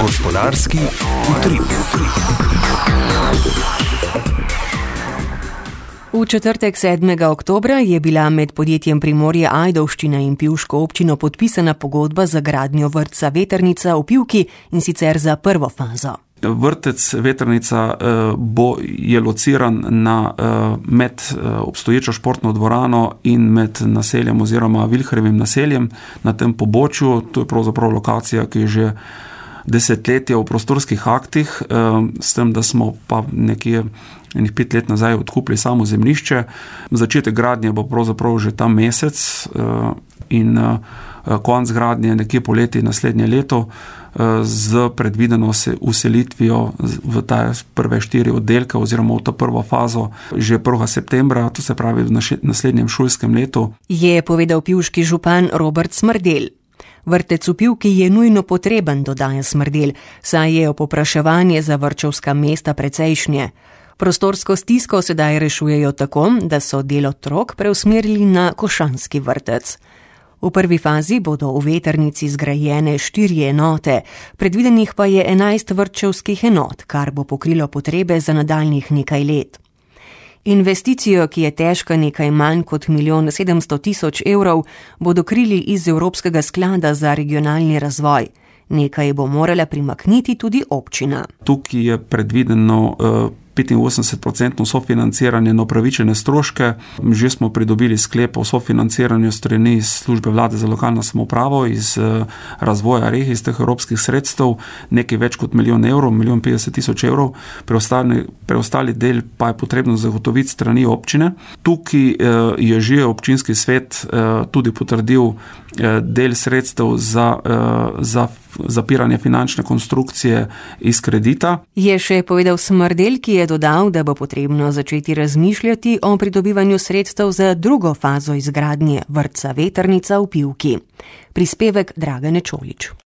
Gospodarski utrip. V četrtek 7. oktobra je bila med podjetjem Primorje Ajdovščina in Pivško občino podpisana pogodba za gradnjo vrtca Vetrnica v Pivki, in sicer za prvo fazo. Vrtec Vetrnica je lociran med obstoječo športno dvorano in med naseljem oziroma Vilharjevim naseljem na tem pobočju. To je pravzaprav lokacija, ki je že desetletja v prostorskih aktih, s tem, da smo pa nekje 5 let nazaj odkupili samo zemljišče. Začetek gradnje bo pravzaprav že ta mesec in konec gradnje nekje poleti naslednje leto z predvideno uselitvijo v ta prve 4 oddelke oziroma v ta prvo fazo že 1. septembra, to se pravi v naslednjem šolskem letu. Je povedal pivški župan Robert Smrdelj. Vrtec v Pivki je nujno potreben, dodaja Smrdelj, saj je povpraševanje za vrtčevska mesta precejšnje. Prostorsko stisko sedaj rešujejo tako, da so del otrok preusmerili na Košanski vrtec. V prvi fazi bodo v Vetrnici zgrajene 4 enote, predvidenih pa je 11 vrtčevskih enot, kar bo pokrilo potrebe za nadaljnjih nekaj let. Investicijo, ki je težka nekaj manj kot 1 700 000 evrov, bodo krili iz Evropskega sklada za regionalni razvoj. Nekaj bo morala primakniti tudi občina. Tukaj je predvideno 85% sofinanciranje na upravičene stroške. Že smo pridobili sklep o sofinanciranju strani iz službe vlade za lokalno samoupravo, iz razvoja regij, iz teh evropskih sredstev, nekaj več kot 1 milijon evrov, 1 50 000 evrov, preostali del pa je potrebno zagotoviti strani občine. Tukaj je že občinski svet tudi potrdil del sredstev za zapiranje finančne konstrukcije iz kredita. Je še povedal Smrdelj, ki je dodal, da bo potrebno začeti razmišljati o pridobivanju sredstev za drugo fazo izgradnje vrtca Vetrnica v Pivki. Prispevek Dragane Čolič.